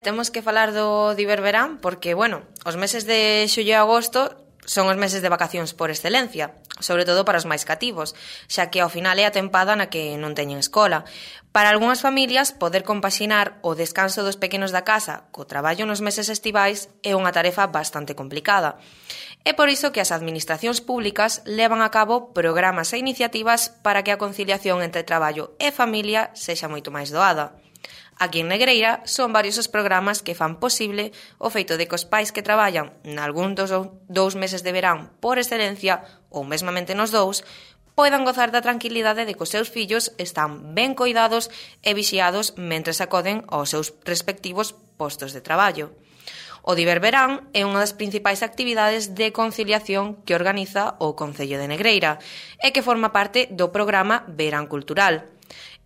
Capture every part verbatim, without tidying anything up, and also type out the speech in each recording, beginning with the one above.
Temos que falar do Diververán porque, bueno, os meses de xullo e agosto son os meses de vacacións por excelencia, sobre todo para os máis cativos, xa que ao final é a tempada na que non teñen escola. Para algunhas familias, poder compaxinar o descanso dos pequenos da casa co traballo nos meses estivais é unha tarefa bastante complicada. É por iso que as administracións públicas levan a cabo programas e iniciativas para que a conciliación entre traballo e familia sexa moito máis doada. Aquí en Negreira son varios os programas que fan posible o feito de que os pais que traballan nalgún dos dous meses de verán por excelencia, ou mesmamente nos dous, poidan gozar da tranquilidade de que os seus fillos están ben coidados e vixiados mentres acoden aos seus respectivos postos de traballo. O Diververán é unha das principais actividades de conciliación que organiza o Concello de Negreira e que forma parte do programa Verán Cultural.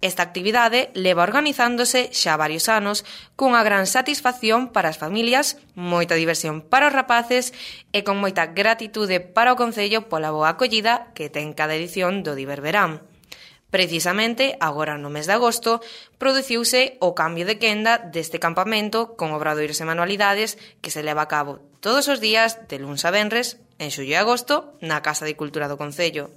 Esta actividade leva organizándose xa varios anos cunha gran satisfacción para as familias, moita diversión para os rapaces e con moita gratitude para o Concello pola boa acollida que ten cada edición do Diververán. Precisamente, agora no mes de agosto, produciuse o cambio de quenda deste campamento con obradoiros e manualidades que se leva a cabo todos os días de luns a venres, en xullo e agosto, na Casa de Cultura do Concello.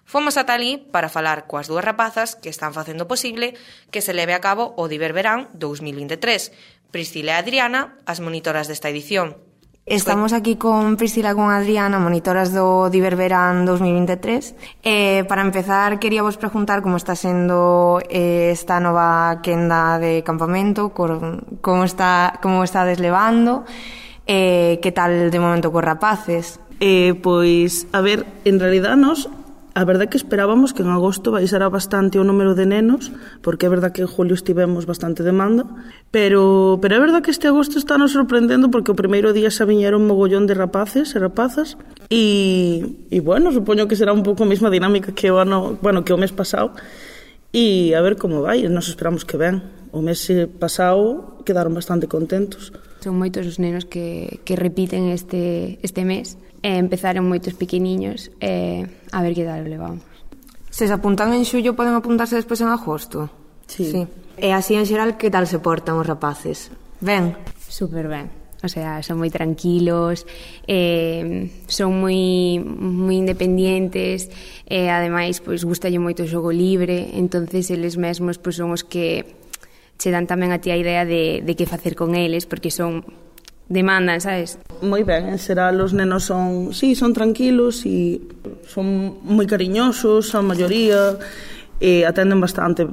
Fomos ata alí para falar coas dúas rapazas que están facendo posible que se leve a cabo o Diververán dous mil vinte e tres, Priscila e Adriana, as monitoras desta edición. Estamos aquí con Priscila e con Adriana, monitoras do Diververán dous mil vinte e tres. Eh, para empezar, queríamos preguntar como está sendo eh, esta nova quenda de campamento, como está, como está deslevando, eh, que tal de momento cos rapaces? Eh, pois, a ver, en realidad nos... A verdade é que esperábamos que en agosto baixara bastante o número de nenos, porque é verdade que en julio estivemos bastante demanda, pero, pero é verdade que este agosto está nos sorprendendo porque o primeiro día xa viñeron un mogollón de rapaces e rapazas e, e bueno, supoño que será un pouco a mesma dinámica que o ano, bueno, que o mes pasado e a ver como vai, nos esperamos que ben. O mes pasado quedaron bastante contentos. Son moitos os nenos que, que repiten este, este mes. E empezaron moitos pequeniños e a ver que tal o levamos. Se se apuntan en xullo, poden apuntarse despois en agosto? Sí. sí. E así en xeral, que tal se portan os rapaces? Ben? Super ben. O sea, son moi tranquilos, eh, son moi moi independientes e ademais pois gustalle moito o xogo libre, entonces eles mesmos pois son os que che dan tamén a ti a idea de, de que facer con eles, porque son demandan, sabes? Moi ben, en xeral os nenos son, sí, son tranquilos e son moi cariñosos, a maioría, e atenden bastante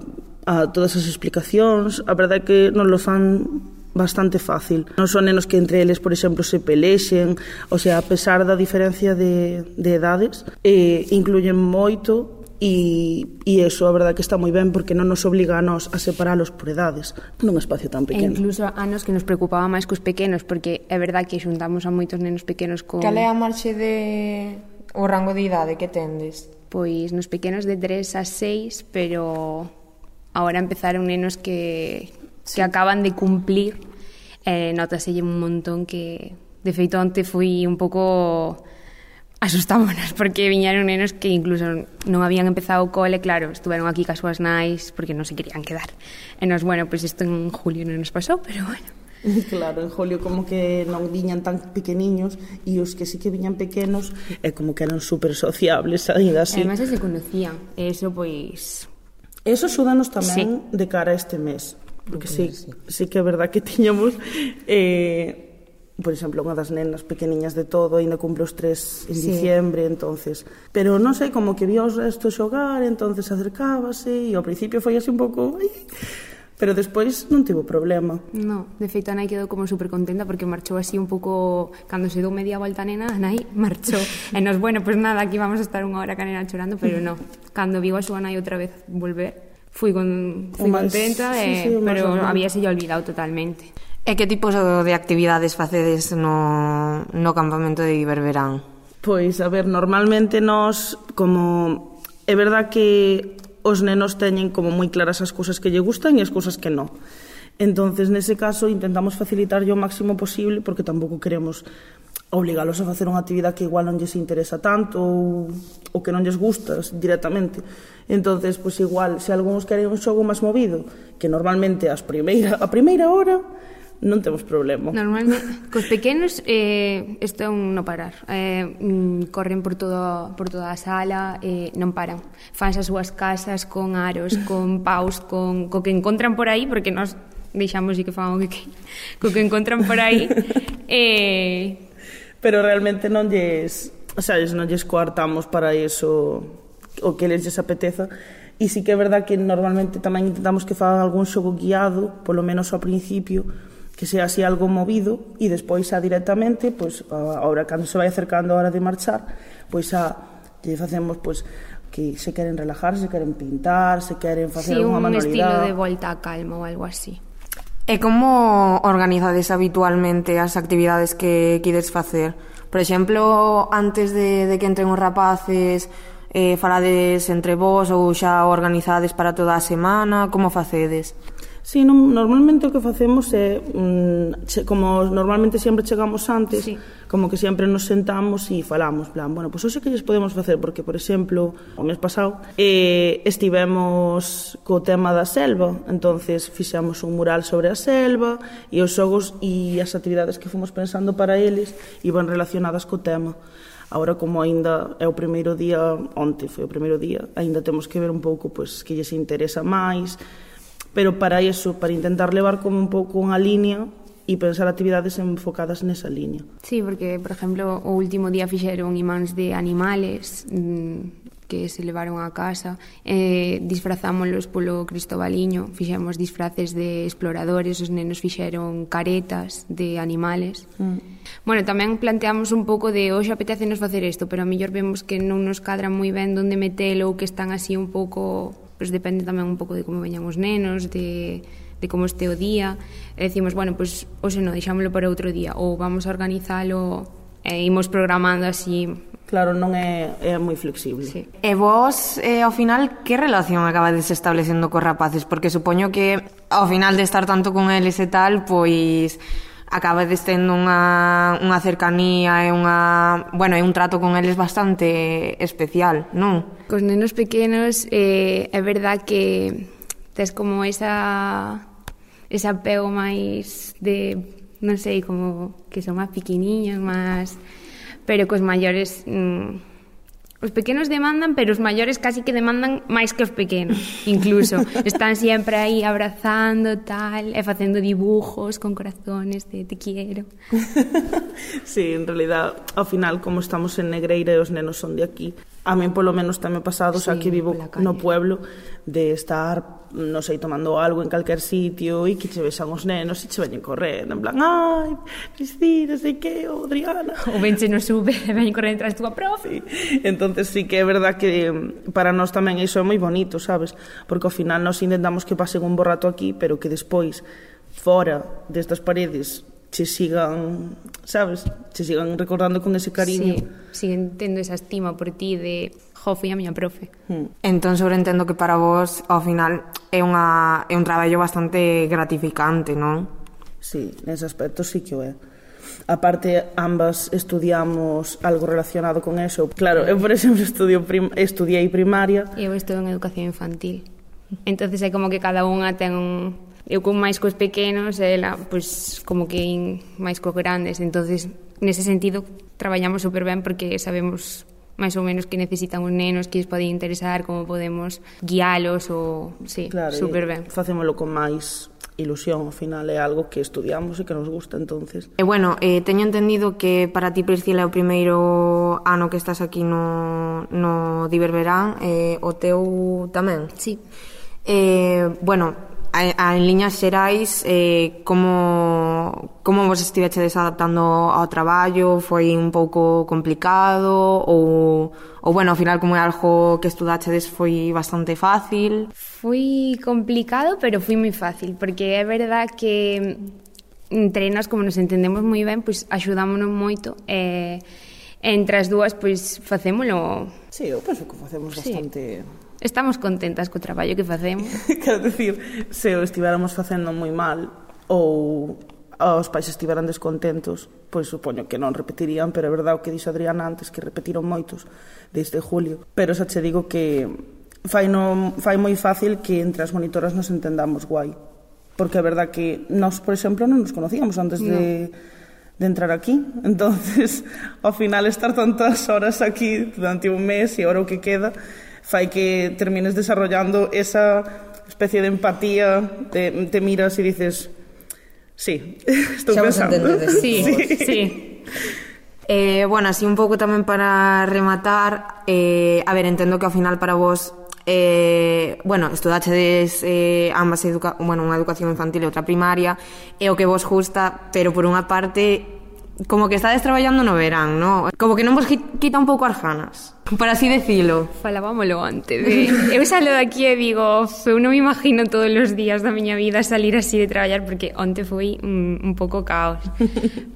a todas as explicacións. A verdade é que nos lo fan bastante fácil. Non son nenos que entre eles, por exemplo, se pelexen, o sea, a pesar da diferencia de, de edades, eh, incluyen moito. E, e eso, a verdade que está moi ben porque non nos obliga a nos a separalos por edades nun espacio tan pequeno. E incluso a nos que nos preocupaba máis cos pequenos, porque é verdade que xuntamos a moitos nenos pequenos con... Cal é a marxe de... o rango de idade que tendes? Pois nos pequenos de tres a seis, pero agora empezaron nenos que, sí. que acaban de cumplir, eh, notaselle un montón que de feito onte fui un pouco... asustámonos porque viñeron nenos que incluso non habían empezado o cole, claro, estuveron aquí cas súas nais porque non se querían quedar. E nos, bueno, pois pues isto en julio non nos pasou, pero bueno. Claro, en julio como que non viñan tan pequeniños e os que sí que viñan pequenos é como que eran super sociables, ainda así. E además se conocían, e eso pois... Eso axúdanos tamén sí. de cara a este mes, porque sí, sí, sí que é verdad que tiñamos... Eh, por exemplo, unha das nenas pequeniñas de todo ainda cumple os tres en sí. diciembre, entonces, pero non sei, como que vía os restos xogar, entonces acercábase e ao principio foi así un pouco, pero despois non tivo problema. No, de feito a nai quedou como super contenta porque marchou así un pouco, cando se dou media volta a nena, a nai marchou e nos, bueno, pues nada, aquí vamos a estar unha hora ca nena chorando, pero no, cando viu a súa nai outra vez volver, fui, con, fui más, contenta, sí, eh, sí, pero había se olvidado totalmente. E que tipos de actividades facedes no, no campamento de Diververán? Pois, a ver, normalmente nós, como... É verdad que os nenos teñen como moi claras as cousas que lle gustan e as cousas que non. Entonces, nese caso, intentamos facilitar o máximo posible porque tampouco queremos obligalos a facer unha actividade que igual non lles interesa tanto ou, ou que non lles gusta directamente. Entonces, pois igual, se algúns queren un xogo máis movido, que normalmente as primeira, a primeira hora non temos problema. Normalmente, cos pequenos eh, isto é un non parar. Eh, mm, corren por todo, por toda a sala, eh, non paran. Fans as súas casas con aros, con paus, con co que encontran por aí, porque nós deixamos e que fan o que, co que encontran por aí. eh... Pero realmente non lles, o sea, non lles coartamos para iso o que les lles apeteza. E sí que é verdad que normalmente tamén intentamos que fagan algún xogo guiado, polo menos ao principio, que sea así algo movido, e despois xa directamente, pois, ahora cando se vai acercando a hora de marchar, pois xa lle facemos, pois, que se queren relajar, se queren pintar, se queren facer sí, unha manualidade. Sí, un estilo de volta a calma ou algo así. E como organizades habitualmente as actividades que quides facer? Por exemplo, antes de, de que entren os rapaces, eh, falades entre vós ou xa organizades para toda a semana? Como facedes? Sí, non, normalmente o que facemos é, mm, che, como normalmente sempre chegamos antes, sí. Como que sempre nos sentamos e falamos, plan, bueno, pois pues hoxe que lles podemos facer, porque, por exemplo, o mes pasado eh, estivemos co tema da selva, entonces fixemos un mural sobre a selva e os xogos e as actividades que fomos pensando para eles iban relacionadas co tema. Agora, como aínda é o primeiro día, onte foi o primeiro día, aínda temos que ver un pouco pois, que lles interesa máis, pero para iso, para intentar levar como un pouco unha línea e pensar actividades enfocadas nesa línea. Sí, porque, por exemplo, o último día fixeron imáns de animales mmm, que se levaron a casa, eh, disfrazámoslos polo Cristobaliño, fixemos disfraces de exploradores, os nenos fixeron caretas de animales. Mm. Bueno, tamén planteamos un pouco de hoxe apetécenos facer isto, pero a mellor vemos que non nos cadra moi ben onde metelo ou que están así un pouco... Pois depende tamén un pouco de como veñan os nenos, de, de como este o día. E decimos, bueno, pois hoxe non, deixámoslo para outro día, ou vamos a organizalo e imos programando así. Claro, non é, é moi flexible. Sí. E vos, eh, ao final, que relación acabades establecendo cos rapaces? Porque supoño que ao final de estar tanto con eles e tal, pois acabades tendo unha, unha cercanía e unha, bueno, e un trato con eles bastante especial, non? Cos nenos pequenos eh, é verdad que tes como esa ese apego máis de, non sei, como que son máis pequeniños, máis, pero cos maiores mmm, os pequenos demandan, pero os maiores casi que demandan máis que os pequenos, incluso. Están sempre aí abrazando, tal, e facendo dibujos con corazones de te quiero. Sí, en realidad, ao final, como estamos en Negreira e os nenos son de aquí, a mí polo menos tamén pasado, sí, xa que vivo no pueblo, de estar, non sei, tomando algo en calquer sitio e que che vexan os nenos e che veñen correndo, en plan, ai, Cristina, sei que, o Adriana. O venche no sube e veñen correndo tras túa profe. Sí. Entonces sí que é verdad que para nós tamén iso é moi bonito, sabes? Porque ao final nós intentamos que pasen un bo rato aquí, pero que despois, fora destas paredes, che sigan, sabes, che sigan recordando con ese cariño. Sí, siguen tendo esa estima por ti de, jo, fui a miña profe. Hmm. Entón, sobreentendo que para vos, ao final, é, unha, é un traballo bastante gratificante, non? Sí, nese aspecto sí que o é. Aparte, ambas estudiamos algo relacionado con eso. Claro, eu, por exemplo, estudio prim- estudiei primaria. Eu estou en educación infantil. Entonces é como que cada unha ten un... Eu con máis cos pequenos, ela, pois, como que máis cos grandes. Entonces, nese sentido, traballamos super ben porque sabemos máis ou menos que necesitan os nenos, que lles pode interesar, como podemos guialos, ou, sí, claro, super ben. Facémolo con máis ilusión, ao final é algo que estudiamos e que nos gusta, entonces. E bueno, eh, teño entendido que para ti, Priscila, é o primeiro ano que estás aquí no, no Diververán, eh, o teu tamén? Sí. Eh, bueno, a, a, en liñas xerais, eh, como, como vos estivechedes adaptando ao traballo? Foi un pouco complicado? Ou, ou bueno, ao final, como é algo que estudachedes, foi bastante fácil? Foi complicado, pero foi moi fácil, porque é verdad que entre nós, como nos entendemos moi ben, pois axudámonos moito, e entre as dúas, pois facémolo... Sí, eu penso que facemos bastante... Sí. Estamos contentas co traballo que facemos. Quero dicir, se o estivéramos facendo moi mal ou os pais estiveran descontentos, pois supoño que non repetirían, pero é verdade o que dixo Adriana antes, que repetiron moitos desde julio. Pero xa che digo que fai, no, fai moi fácil que entre as monitoras nos entendamos guai. porque é verdad que nós, por exemplo, non nos conocíamos antes no. de, de entrar aquí. Entonces, ao final, estar tantas horas aquí durante un mes e ahora o que queda fai que termines desarrollando esa especie de empatía, te, te miras e dices, sí, estou xa pensando. Sí, sí. sí. Eh, bueno, así un pouco tamén para rematar, eh, a ver, entendo que ao final para vos, eh, bueno, estudachedes eh, ambas educa bueno, unha educación infantil e outra primaria, é o que vos gusta, pero por unha parte, como que estades traballando no verán, ¿no? Como que non vos quita un pouco as ganas, por así decilo. Falábamolo antes de... Eu salo de aquí e digo, eu non me imagino todos os días da miña vida salir así de traballar, porque onte foi un, un pouco caos.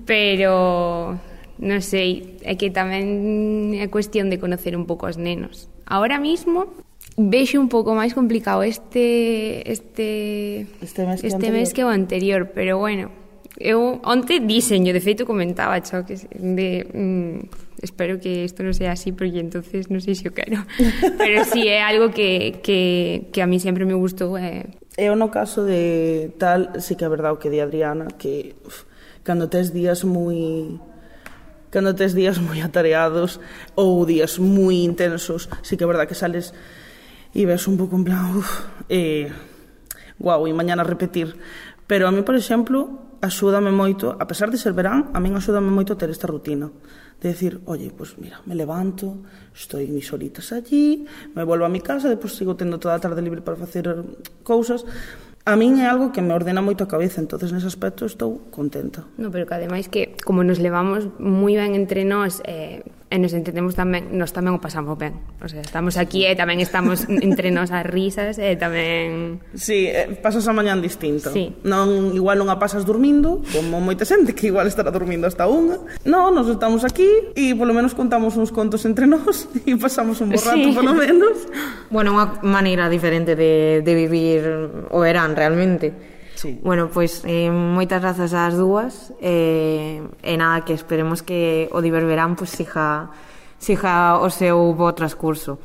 Pero... non sei, é que tamén é cuestión de conocer un pouco os nenos. Ahora mismo vexo un pouco máis complicado este este este mes que, este mes que o anterior, pero bueno, eu onte diseño, de feito comentaba cho que de mm, espero que isto non sea así porque entonces non sei se o quero. Pero sí é algo que que que a mí sempre me gustou. Eh. Eu no caso de tal, sí que é verdade o que di Adriana, que uf, cando tes días moi cando tes días moi atareados ou días moi intensos, sí que é verdade que sales e ves un pouco en plan, uff, eh, guau, e mañana repetir. Pero a mí, por exemplo, axúdame moito, a pesar de ser verán, a min axúdame moito ter esta rutina. De decir, oye, pues mira, me levanto, estoy mis horitas allí, me volvo a mi casa, depois sigo tendo toda a tarde libre para facer cousas. A min é algo que me ordena moito a cabeza, entonces nese aspecto estou contenta. No, pero que ademais que como nos levamos moi ben entre nós eh, e nos entendemos tamén, nos tamén o pasamos ben. O sea, estamos aquí e tamén estamos entre nós as risas e tamén... Sí, eh, pasas a mañán distinto. Sí. Non, igual non a pasas dormindo, como moita xente que igual estará dormindo hasta unha. Non, nos estamos aquí e polo menos contamos uns contos entre nós e pasamos un bo rato, sí. polo menos. Bueno, unha maneira diferente de, de vivir o verán, realmente. Sí. Bueno, pois pues, eh, moitas grazas ás dúas eh, e nada, que esperemos que o Diververán pues, siga, siga o seu bo transcurso.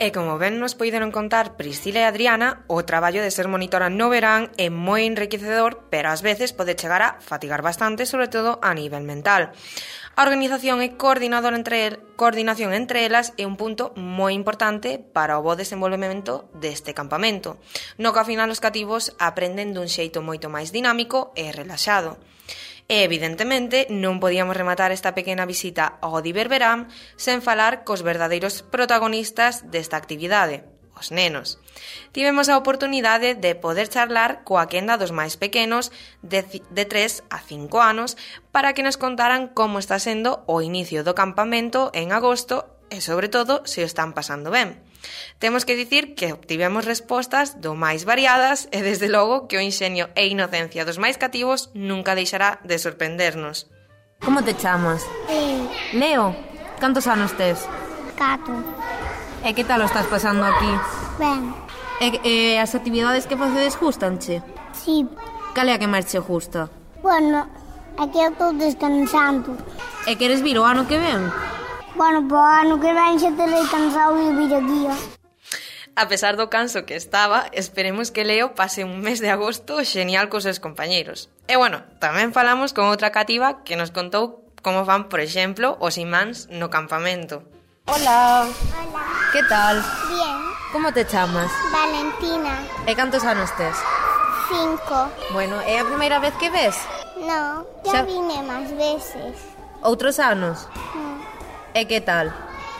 E como ben nos poideron contar Priscila e Adriana, o traballo de ser monitora no verán é moi enriquecedor, pero ás veces pode chegar a fatigar bastante, sobre todo a nivel mental. A organización e coordinador entre el, coordinación entre elas é un punto moi importante para o bo desenvolvemento deste campamento, no que ao final os cativos aprenden dun xeito moito máis dinámico e relaxado. E, evidentemente, non podíamos rematar esta pequena visita ao Diververán sen falar cos verdadeiros protagonistas desta actividade, os nenos. Tivemos a oportunidade de poder charlar coa quenda dos máis pequenos de, de tres a cinco anos para que nos contaran como está sendo o inicio do campamento en agosto e, sobre todo, se o están pasando ben. Temos que dicir que obtivemos respostas do máis variadas e, desde logo, que o inxenio e inocencia dos máis cativos nunca deixará de sorprendernos. Como te chamas? Leo. Leo, cantos anos tes? Cato. E que tal o estás pasando aquí? Ben. E, e as actividades que facedes gustanche? Sí. Cal é a que máis che gusta? Bueno, aquí eu estou descansando. E queres vir o ano que ven? Bueno, po ano que ven xa terei cansado de vir aquí. A pesar do canso que estaba, esperemos que Leo pase un mes de agosto genial cos seus compañeiros. E bueno, tamén falamos con outra cativa que nos contou como fan, por exemplo, os imáns no campamento. Hola. Hola. Que tal? Bien. Como te chamas? Valentina. E cantos anos tes? Cinco. Bueno, é a primeira vez que ves? No, Xa- ya vine máis veces. Outros anos? Mm. E que tal?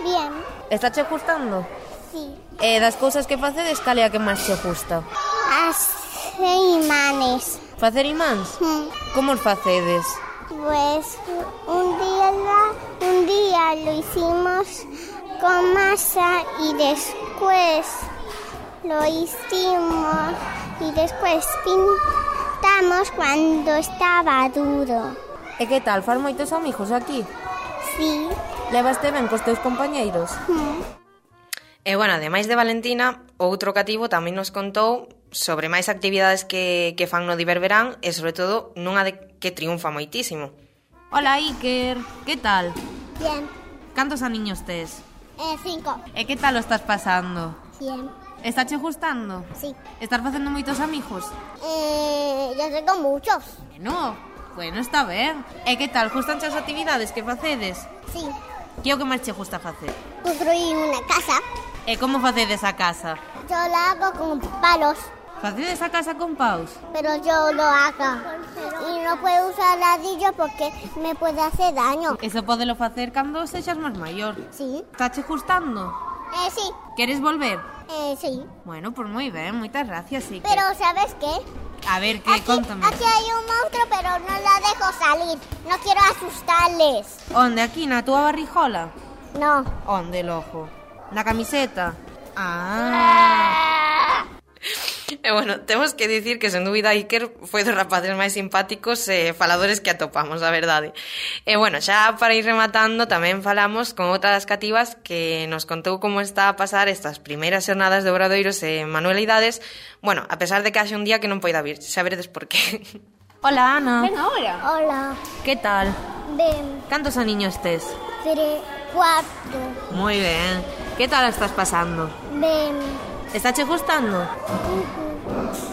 Bien. Está che gustando? Sí. E das cousas que facedes, cal é a que máis che gusta? As imanes. Facer imáns? Mm. Como os facedes? Pues un día, la- un día lo hicimos con masa y después lo hicimos y después pintamos cuando estaba duro. E que tal, faz moitos amigos aquí? Sí. Levaste ben cos teus compañeiros? Mm. E, bueno, ademais de Valentina, outro cativo tamén nos contou sobre máis actividades que, que fan no Diververán e, sobre todo, nunha de que triunfa moitísimo. Hola, Iker, que tal? Bien. Cantos aniños tes? Eh, cinco. E que tal o estás pasando? Cien. Estáche gustando? Sí. Estás facendo moitos amigos? Eh, ya tengo muchos. Bueno, bueno, está ben. E que tal, gustanche as actividades que facedes? Sí. Que é o que máis che gusta facer? Construí una casa. E como facedes a casa? Yo la hago con palos, Facedes a casa con paus? pero yo lo hago. Y no puedo usar ladrillo porque me puede hacer daño. Eso podelo facer cando sexas máis maior. Sí. Estáche gustando? Eh, sí. Queres volver? Eh, sí. Bueno, pues moi ben, moitas gracias, sí que... Pero ¿sabes qué? A ver, que Aquí, contame. aquí hay un monstruo, pero no la dejo salir. No quiero asustarles. Onde, aquí, na túa barrijola? No. Onde, lojo? Na camiseta? Ah... E bueno, temos que dicir que sen dúbida Iker foi dos rapaces máis simpáticos e faladores que atopamos, a verdade. E bueno, xa para ir rematando tamén falamos con outra das cativas que nos contou como está a pasar estas primeiras xornadas de obradoiros e manualidades, bueno, a pesar de que haxe un día que non poida vir, xa veredes por qué. Hola, Ana. Ven ahora. Hola. Que tal? Ven. Cantos aniños tes? Tres, cuatro. Moi ben. Que tal a estás pasando? Ven. Estáche gustando?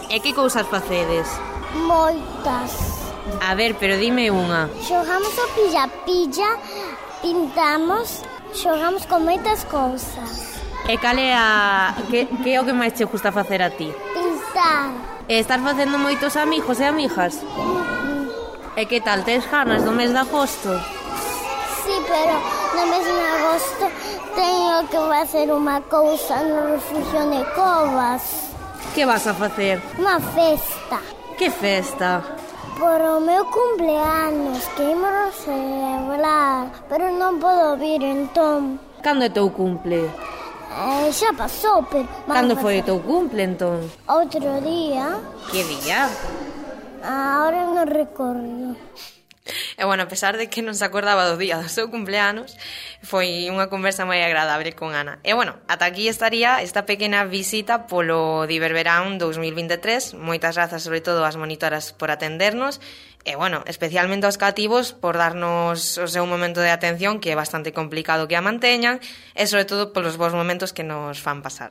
E que cousas facedes? Moitas. A ver, pero dime unha. Xogamos o pilla-pilla, pintamos, xogamos con moitas cousas. E cal é a... Que, que é o que máis che gusta facer a ti? Pintar. E estás facendo moitos amigos e amigas? E que tal, tes ganas do mes de agosto? Sí, pero no mes de agosto teño que facer unha cousa no refugio de Covas. Que vas a facer? Unha festa. Que festa? Por o meu cumpleanos, que imos celebrar, pero non podo vir entón. Cando é teu cumple? Eh, xa pasou, pero... Cando foi o teu cumple, entón? Outro día. Que día? Ahora non recordo. E bueno, a pesar de que non se acordaba do día do seu cumpleanos, foi unha conversa moi agradable con Ana. E bueno, ata aquí estaría esta pequena visita polo Diververán dous mil vinte e tres. Moitas grazas sobre todo ás monitoras por atendernos e bueno, especialmente aos cativos por darnos o seu momento de atención, que é bastante complicado que a manteñan, e sobre todo polos bons momentos que nos fan pasar.